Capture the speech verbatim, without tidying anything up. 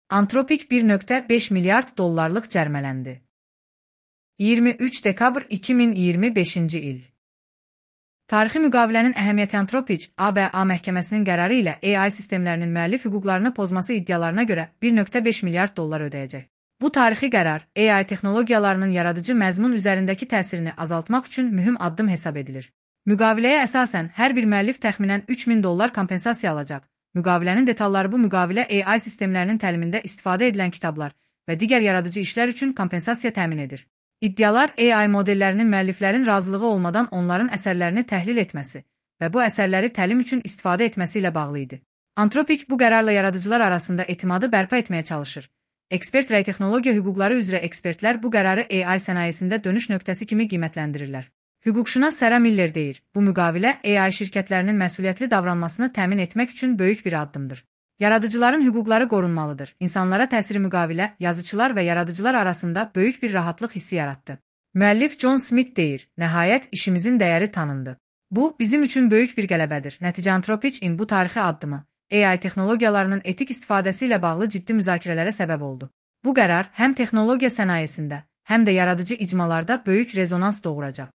Anthropic bir nöqtə beş milyard dollarlıq cərmələndi. iyirmi üç dekabr iki min iyirmi beşinci il. Tarixi müqavilənin əhəmiyyəti Anthropic, A B A məhkəməsinin qərarı ilə A I sistemlərinin müəllif hüquqlarını pozması iddialarına görə bir nöqtə beş milyard dollar ödəyəcək. Bu tarixi qərar A I texnologiyalarının yaradıcı məzmun üzərindəki təsirini azaltmaq üçün mühüm addım hesab edilir. Müqaviləyə əsasən hər bir müəllif təxminən üç min dollar kompensasiya alacaq. Müqavilənin detalları bu müqavilə A I sistemlərinin təlimində istifadə edilən kitablar və digər yaradıcı işlər üçün kompensasiya təmin edir. İddialar A I modellərinin müəlliflərin razılığı olmadan onların əsərlərini təhlil etməsi və bu əsərləri təlim üçün istifadə etməsi ilə bağlı idi. Anthropic bu qərarla yaradıcılar arasında etimadı bərpa etməyə çalışır. Ekspert rəy texnologiya hüquqları üzrə ekspertlər bu qərarı A I sənayesində dönüş nöqtəsi kimi qiymətləndirirlər. Hüquqşünas Sarah Miller deyir, bu müqavilə A I şirkətlərinin məsuliyyətli davranmasını təmin etmək üçün böyük bir addımdır. Yaradıcıların hüquqları qorunmalıdır. İnsanlara təsiri müqavilə, yazıçılar və yaradıcılar arasında böyük bir rahatlıq hissi yaratdı. Müəllif John Smith deyir, nəhayət işimizin dəyəri tanındı. Bu, bizim üçün böyük bir qələbədir. Nəticə Anthropic-in bu tarixi addımı A I texnologiyalarının etik istifadəsi ilə bağlı ciddi müzakirələrə səbəb oldu. Bu qərar həm texnologiya sənayesində, həm də yaradıcı icmalarda böyük rezonans doğuracaq.